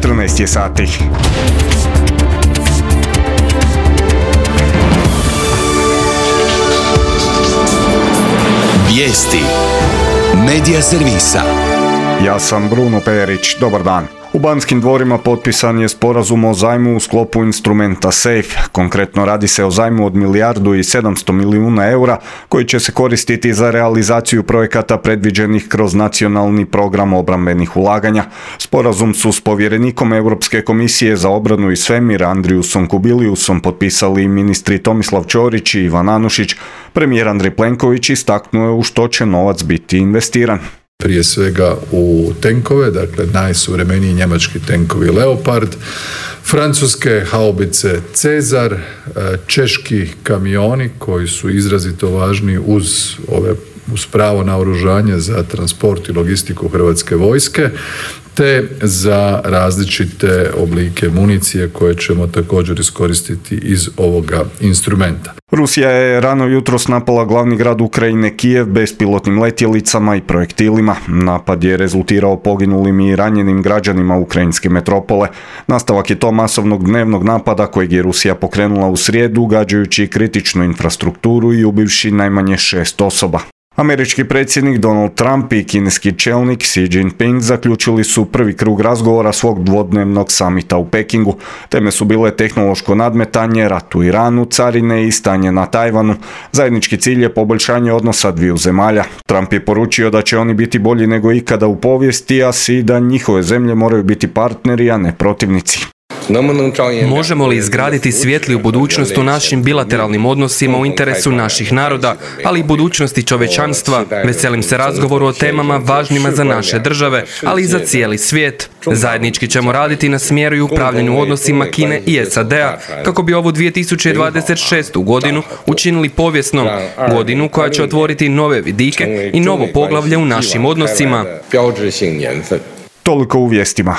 14 je sati. Vijesti Medija servisa. Ja sam Bruno Perić, dobar dan. U Banskim dvorima potpisan je sporazum o zajmu u sklopu instrumenta SAFE. Konkretno radi se o zajmu od 1,7 milijardi eura koji će se koristiti za realizaciju projekata predviđenih kroz nacionalni program obrambenih ulaganja. Sporazum su s povjerenikom Europske komisije za obranu i svemir Andriusom Kubiliusom potpisali ministri Tomislav Ćorić i Ivan Anušić. Premijer Andrej Plenković istaknuo je u što će novac biti investiran. Prije svega u tenkove, dakle najsuvremeniji njemački tenkovi Leopard, francuske haubice Cezar, češki kamioni koji su izrazito važni uz pravo naoružanje za transport i logistiku Hrvatske vojske, te za različite oblike municije koje ćemo također iskoristiti iz ovoga instrumenta. Rusija je rano jutros napala glavni grad Ukrajine Kijev bespilotnim letjelicama i projektilima. Napad je rezultirao poginulim i ranjenim građanima ukrajinske metropole. Nastavak je to masovnog dnevnog napada kojeg je Rusija pokrenula u srijedu, gađajući kritičnu infrastrukturu i ubivši najmanje 6 osoba. Američki predsjednik Donald Trump i kineski čelnik Xi Jinping zaključili su prvi krug razgovora svog dvodnevnog samita u Pekingu. Teme su bile tehnološko nadmetanje, rat u Iranu, carine i stanje na Tajvanu. Zajednički cilj je poboljšanje odnosa dviju zemalja. Trump je poručio da će oni biti bolji nego ikada u povijesti, a Xi da njihove zemlje moraju biti partneri, a ne protivnici. Možemo li izgraditi svjetliju budućnost u našim bilateralnim odnosima u interesu naših naroda, ali i budućnosti čovječanstva? Veselim se razgovoru o temama važnima za naše države, ali i za cijeli svijet. Zajednički ćemo raditi na smjeru i upravljanju odnosima Kine i SAD-a, kako bi ovu 2026. godinu učinili povijesnom, godinu koja će otvoriti nove vidike i novo poglavlje u našim odnosima. Toliko u vijestima.